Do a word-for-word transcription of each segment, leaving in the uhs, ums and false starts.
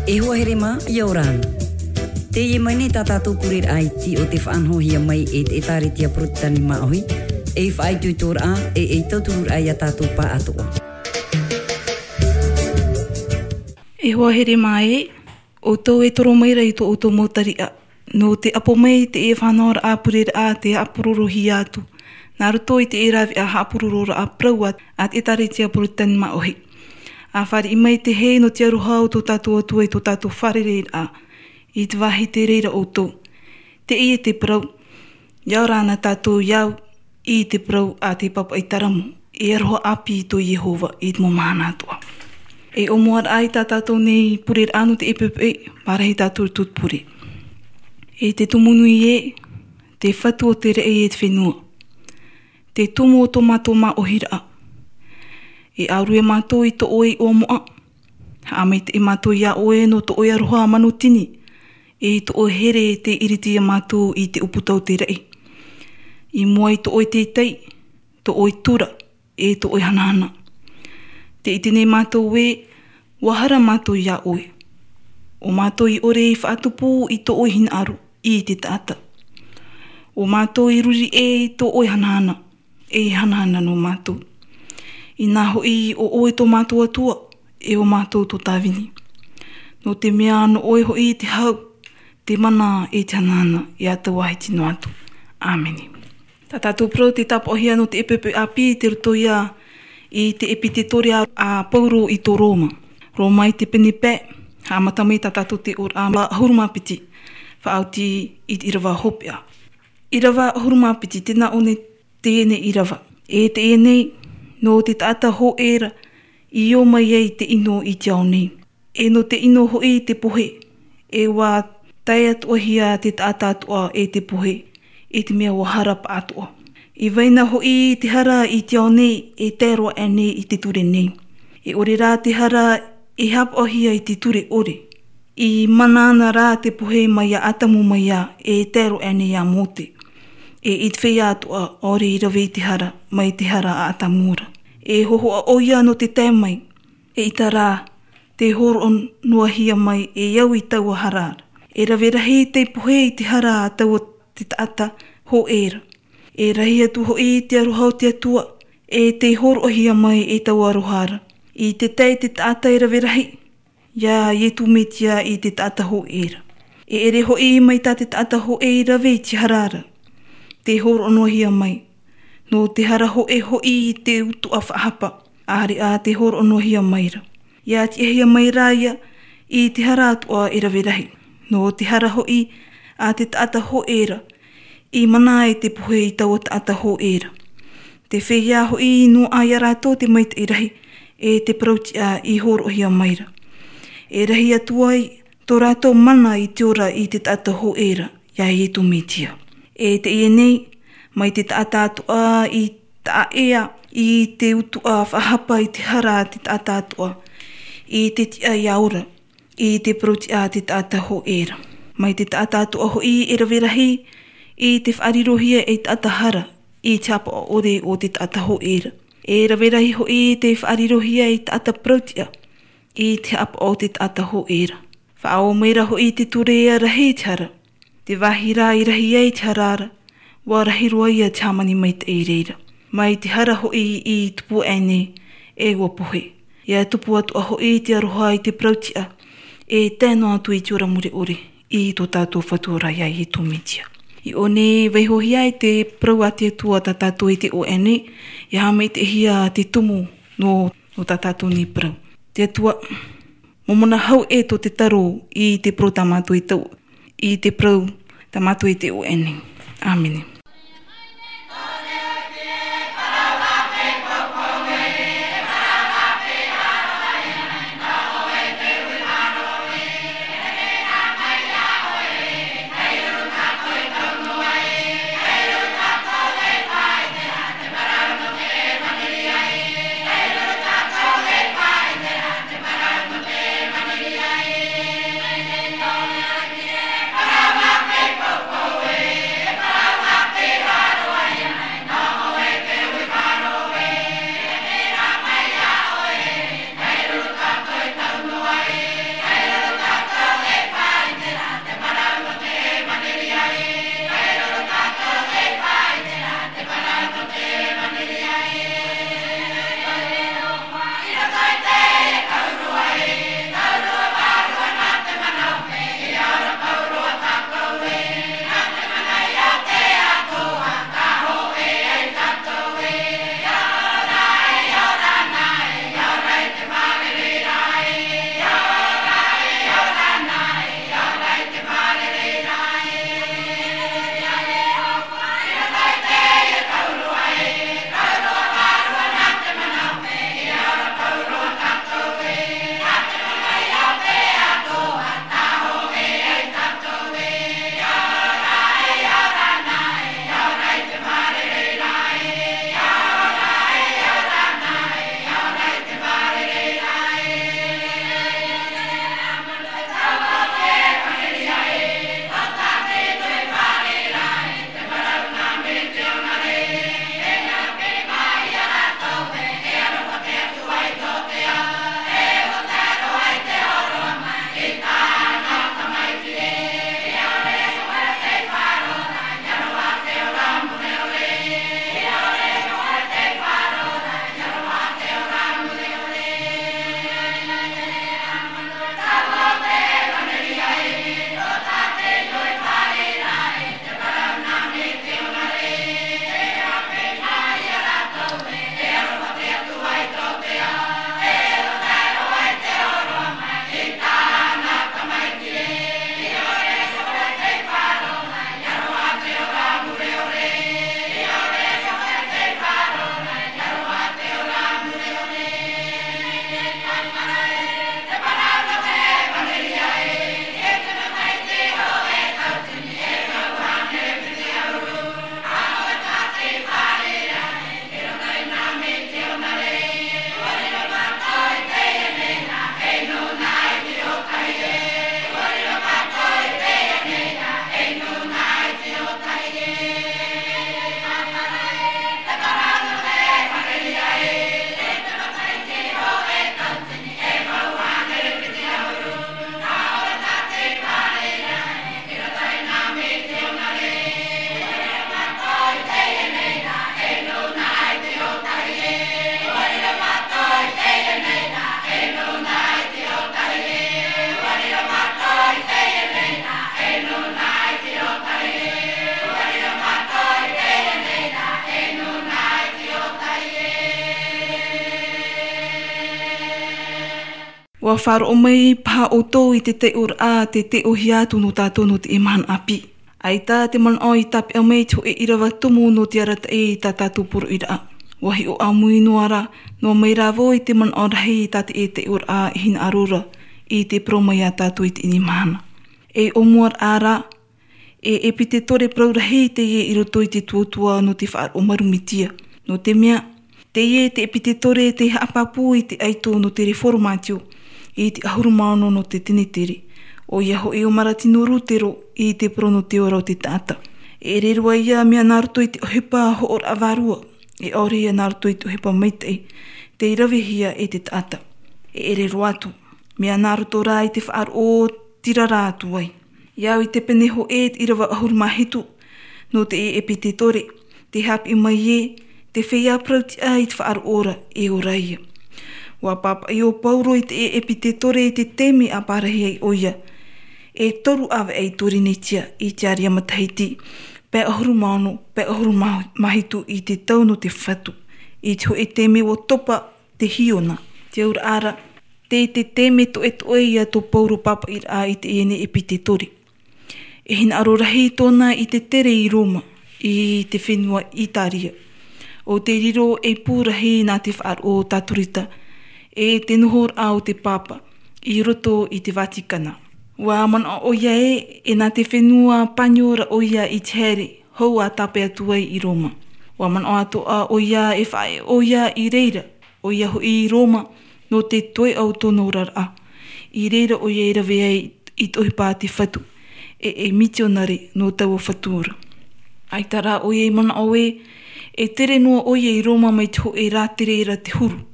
E hoa here mā, ʻia ora na. Teie mai nei tā tātou pureraʻa iti o te faʻanahohia mai e te ʻĒtārētia Porotitani Māʻohi, ei faʻaitoitoraʻa, e ei tautururaʻa ia tātou pāʻatoʻa. E hoa here mā ē, ʻoutou e toro mai ra i tō ʻoutou mau tariʻa, nō te ʻapo mai i teie faʻanahoraʻa pureraʻa tē haʻapurorohia atu, nā roto i teie rāveʻa haʻapurororaʻa parau a, a te ʻĒtārētia Porotitani Māʻohi. ʻA fāriʻi mai te hē nō te aroha o tō tātou Atua i tō tātou fārereiraʻa, i te vāhi tē reira ʻoutou. Teie te parau, ʻia ora na tātou i au, i te parau a te pāpaʻi taramo, e aroha ʻāpī tō Iehova i te mau mahana atoʻa. E ʻōmuaraʻa i tā tātou nei pureraʻa nō te ʻepeʻepeʻe, pārahi tātou i te pure. E te Tumu nui ē, te Fatu o te raʻi e te fenua, te Tumu o tō mātou māʻohiraʻa. E ʻārue mātou i tō ʻoe iʻoa moʻa. Haʻamaitaʻi mātou iā ʻoe nō tō ʻoe aroha manutini, e tō ʻoe here tē iriti ia mātou i te ʻūputa o te raʻi. I mua i tō ʻoe taitai, tō ʻoe tura, e tō ʻoe hanahana. Tē ʻite nei mātou ē, ʻua hara mātou iā ʻoe. ʻO mātou i ʻore i faʻatupu i tō ʻoe hinaʻaro i te taʻata. ʻO mātou i ruri ʻē i tō ʻoe hanahana, e hanahana nō mātou. Inā hoʻi ʻo ʻoe tō mātou Atua, e ʻo mātou tō tāvini. Nō te mea nō ʻoe hoʻi te hau, te mana e te hanahana, e ʻatau ʻahiti noa atu. ʻĀmene. Tā tātou parau tē tāpaʻohia nō te ʻepeʻepe ʻāpī tei roto ia i te ʻepitetoria a Pauro i tō Roma. Roma i te pene pae, haʻamata mai tā tātou tei ʻō ra ʻahuru mā piti, faʻaoti i te ʻīrava hopeʻa. ʻĪrava ʻahuru mā piti, tē nā ʻō nei teie nei ʻīrava. E teie nei, nō te taʻata hōʻē ra, i ō mai ai te ʻino i te ao nei. E nō te ʻino hoʻi te pohe, e ʻua tae atoʻahia te taʻata atoʻa e te pohe, i te mea ʻua hara pāʻatoʻa. I vai na hoʻi te hara i te ao nei, e tae roa aʻe nei i te ture nei. E ʻore rā te hara e haʻapaʻohia i te ture ʻore. I mana ana rā te pohe mai iā ʻĀtamu mai ā, e tae roa aʻe nei iā Mōte. E i te feiā atoʻa, ʻaore i rave i te hara, mai te hara a ʻĀtamu ra. E hōhoʻa ʻoia nō te tae mai, eʻita rā, tē hōroʻa noa hia mai e au i taua hara ra. E rave rahi te pohe i te hara a taua te taʻata hōʻē ra. E rahi atu hoʻi te aroha o te Atua, e tē hōroʻahia mai e taua aroha ra. I te tae te taʻata e rave rahi, iā Ietu Metia i te taʻata hōʻē ra. E ʻere hoʻi mai tā te taʻata hōʻē i rave i te hara ra. Tē hōroʻa noa hia mai. Nō te hara hōʻē hoʻi i te utuʻa faʻahapa, ʻāreʻa tē hōroʻa noa hia mai ra. ʻIa tiʻahia mai rā ia, i te hara atoʻa e rave rahi. Nō te hara hoʻi a te taʻata hōʻē ra, i mana ai te pohe i taua taʻata hōʻē ra. Te feiā hoʻi nō ā iā rātou te maitaʻi rahi, e te parautiʻa i hōroʻahia mai ra. E rahi atu ai, tō rātou mana i te ora i te taʻata hōʻē ra, iā Ietu Metia. E teie nei, mai te taʻata atoʻa i taʻaʻēa i te utuʻa faʻahapa i te hara a te taʻata atoʻa, i te tiʻa ia ora, i te parautiʻa a te taʻata hōʻē ra. Mai te taʻata atoʻa hoʻi e rave rahi, i te faʻarirohia ei taʻata hara, i te haʻapaʻo ʻore o te taʻata hōʻē ra. E rave rahi hoʻi te faʻarirohia ei taʻata parautiʻa, i te haʻapaʻo o te taʻata hōʻē ra. Faʻaō mai ra hoʻi te ture ʻia rahi te hara. Te vāhi rā i rahi ai te hara ra, ʻua rahi roa ia te hāmani maitaʻi i reira. Mai te hara hoʻi i tupu aʻe nei, e ʻua pohe. ʻIa tupu atoʻa hoʻi te aroha i te parautiʻa, e tae noa atu i te ora mure ʻore, i tō tātou Fatu ra iā Ietu Metia. I ʻō nei, vaihohia ai te parau a te Atua tā tātou i te ʻō aʻe nei, ʻia haʻamaitaʻihia te tumu nō, nō tā tātou nei parau. Te Atua, momona hau ē tō te taro i te parau tā mātou i tau, i te parau tā mātou i te ʻō aʻe nei. ʻĀmene. Ua faʻaroʻo mai paha ʻoutou i te taiʻoraʻa te taiʻohia atu nō tātou nō te mahana ʻāpī. ʻAita te manaʻo i tāpeʻa mai te hōʻē ʻīrava tumu nō te arataʻi i tā tātou poroʻiraʻa. Ua hiʻo ʻāmui noa rā, noa mai rā vau i te manaʻo rahi tā te taiʻoraʻa e hinaʻaro ra i te parau mai iā tātou i teie mahana. E ʻōmuaraʻa rā, e epitetore parau rahi teie i roto i te tuatua nō te faʻaroʻo marumitia. Nō te mea, teie te epitetore tei haʻapāpū i te ʻaito nō te reformatio i te ʻahuru mā ono nō te tenetere. ʻOia hoʻi ʻo Maratino Rutero i te parau nō te ora o te taʻata. E ʻere roa ia mea nā roto i te ʻohipa hoʻoraʻa vārua, e ʻaore ia nā roto i te ʻohipa maitaʻi, tei ravehia e te taʻata. E ʻere roa atu, mea nā roto rā i te faʻaroʻo tirara atu ai. I au i te pene hōʻē te ʻīrava ʻahuru mā hitu, nō te epitetore, tē haʻapiʻi mai ē, te feiā parau tiʻa i te faʻaroʻo ra e ora ia. Ua pāpaʻi ʻo Paulo i te epitetore i te taime a parahi ai ʻoia. E toru ʻāvaʻe i Torinetia, i te āria matahiti, pae ʻahuru mā ono, pae ʻahuru mā hitu i te tau nō te fatu. I te hōʻē taime ua topa te hiona. Te auraʻa ra, tei te taime toʻetoʻe ia tō Paulo pāpaʻiraʻa i teie nei epitetore. E hinaʻaro rahi tōna i te tere i Roma, i te fenua Itaria. ʻO te riro e pū rahi nā te faʻaroʻo o Taturita, e te nohoraʻa o te pāpa, i roto i te Vatikana. Ua manaʻo ʻoia ē, e nā te fenua Paniora ʻoia i te haere, hou ʻa tāpeʻa atu ai i Roma. Ua manaʻo atoʻa ʻoia e faʻaʻē ʻoia i reira, ʻoia hoʻi i Roma, nō te toeʻa o tōna oraraʻa. I reira ʻoia e rave ai i te ʻohipa a te fatu, e, e mitionare nō taua fatu ra. ʻAita rā ʻoia i manaʻo ē, e tere noa ʻoia i Roma mai te hōʻē rātere ra te huru.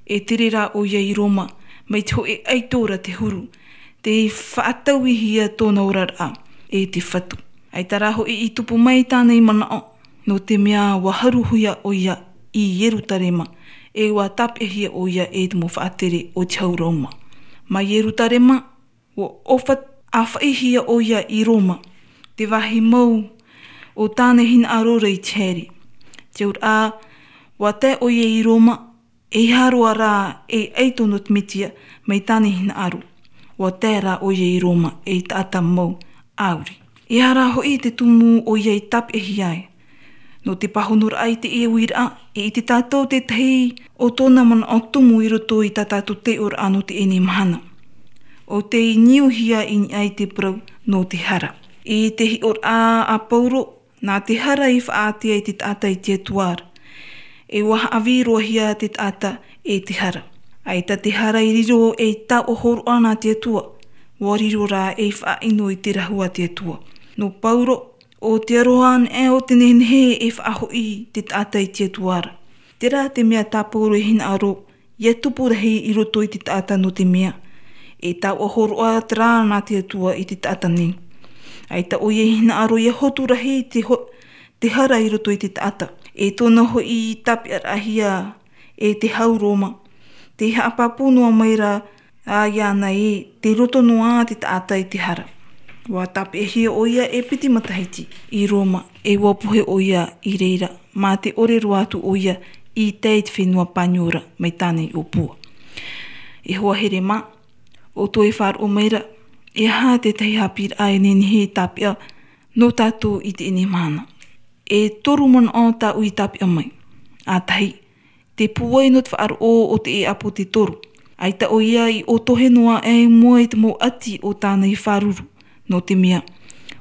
E tere rā ʻoia i Roma, mai te hōʻē ʻaito ra te huru. Tei faʻatauihia tōna oraraʻa, e te fatu. ʻAita rā hoʻi i tupu mai tāna i manaʻo, nō te mea ua haruhia ʻoia i Ierutarema, e ua tāpeʻahia ʻoia e te mau faʻatere o te hau Roma. Mai Ierutarema, ua ʻōfa-, ʻāfaʻihia ʻoia i Roma, te vāhi mau o tāna hinaʻaro ra i te haere. Te auraʻa, ua tae ʻoia i Roma, e ʻeiaha roa rā e ʻaito nō te Metia mai tāna hinaʻaro. Ua tae rā ʻoia i Roma ei taʻata mau ʻāuri. E aha rā hoʻi te tumu ʻoia i tāpeʻahia ai? Nō te pāhonoraʻa i teie uiraʻa, e ʻite tātou tētahi o tōna manaʻo tumu i roto i tā tātou taiʻoraʻa nō teie mahana. ʻO tei niuhia i niʻa i te parau nō te hara. I te hiʻoraʻa a Paulo, nā te hara i faʻaātea i te taʻata i te Atua ra. E ua haʻavī roa hia te taʻata e te hara. ʻAita te hara i riro ei taoʻa hōroʻa nā te Atua. Ua riro rā ei faʻaʻino i te rahu a te Atua. Nō Paulo, ʻo te aroha anaʻe o te nehenehe e faʻahoʻi te taʻata i te Atua ra. Terā te mea tā Paulo e hinaʻaro, ʻia tupu rahi i roto i te taʻata nō te mea, e taoʻa hōroʻa terā nā te Atua i te taʻata nei. ʻAita ʻoia i hinaʻaro ʻia hotu rahi te ho-, te hara i roto i te taʻata. E tōna hoʻi tāpeʻaraʻahia e te hau Roma. Tei haʻapāpū noa mai rā, ā, iāna ē, tei roto noa te taʻata i te hara. Ua tāpeʻahia ʻoia e piti matahiti i Roma, e ua pohe ʻoia i reira, mā te ʻore roa atu ʻoia i tae i te fenua Paniora mai tāna i ʻōpua. E hoa here mā, ʻoutou e faʻaroʻo mai ra, e aha tētahi haʻapiʻiraʻa e nehenehe e tāpeʻa nō tātou i teie mahana. E toru manaʻo tāʻu i tāpeʻa mai. ʻA tahi, te pūai nō te faʻaroʻo o te ʻāpōsetolo. ʻAita ʻoia i ʻōtohe noa aʻe i mua i te mau ʻati o tāna i fāruru. Nō te mea,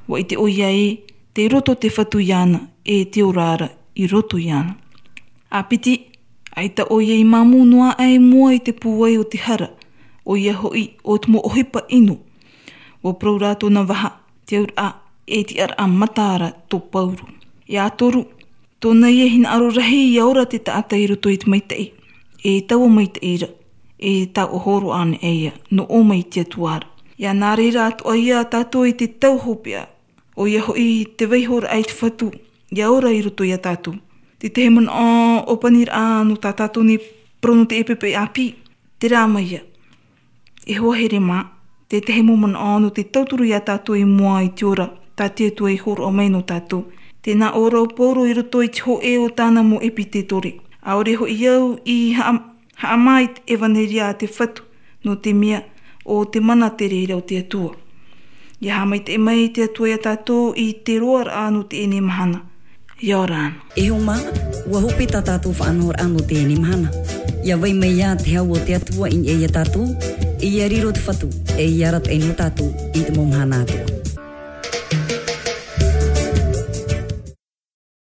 ua ʻite ʻoia ē, tei roto te Fatu iāna, e te ora ra i roto iāna. ʻA piti, ʻaita ʻoia i māmū noa aʻe i mua i te pūai o te hara, ʻoia hoʻi, ʻo te mau ʻohipa ʻino. Ua parau rā tōna vaha, te auraʻa, e tiʻaraʻa mata ra tō Paulo. ʻIa toru, tōna ia hinaʻaro rahi ʻia ora te taʻata i roto i te maitaʻi, e taua maitaʻi ra, e taoʻa hōroʻa anaʻe ia, nō ʻō mai i te Atua ra. ʻIa nā reira atoʻa ia tātou i te tau hopeʻa, ʻoia hoʻi te vaihoraʻa i te Fatu, ʻia ora i roto ia tātou. Te tahi manaʻo ʻōpaniraʻa nō tā tātou nei parau nō teie poʻipoʻi ʻāpī, terā mai ia. E hoa here mā, te tahi mau manaʻo nō te tauturu ia tātou i mua i te ora, tā te Atua i hōroʻa mai nō tātou. Tē nā ʻō ra ʻo Paulo i roto i te hōʻē o tāna mau ʻepitetore. ʻAore hoʻi au i haʻa-, haʻamā i te ʻevaneria a te Fatu, Nō te mea, ʻo te mana te reira o te Atua. Ia haʻamaitaʻi mai te Atua iā tātou i te roaraʻa nō teie mahana. Ia ora na. E hōmā, ʻua hope tā tātou faʻanahoraʻa nō teie mahana. Ia vai mai ā te hau o te Atua i niʻa iā tātou, e ia riro te Fatu, e ia arataʻi nō tātou i te mau mahana atoʻa.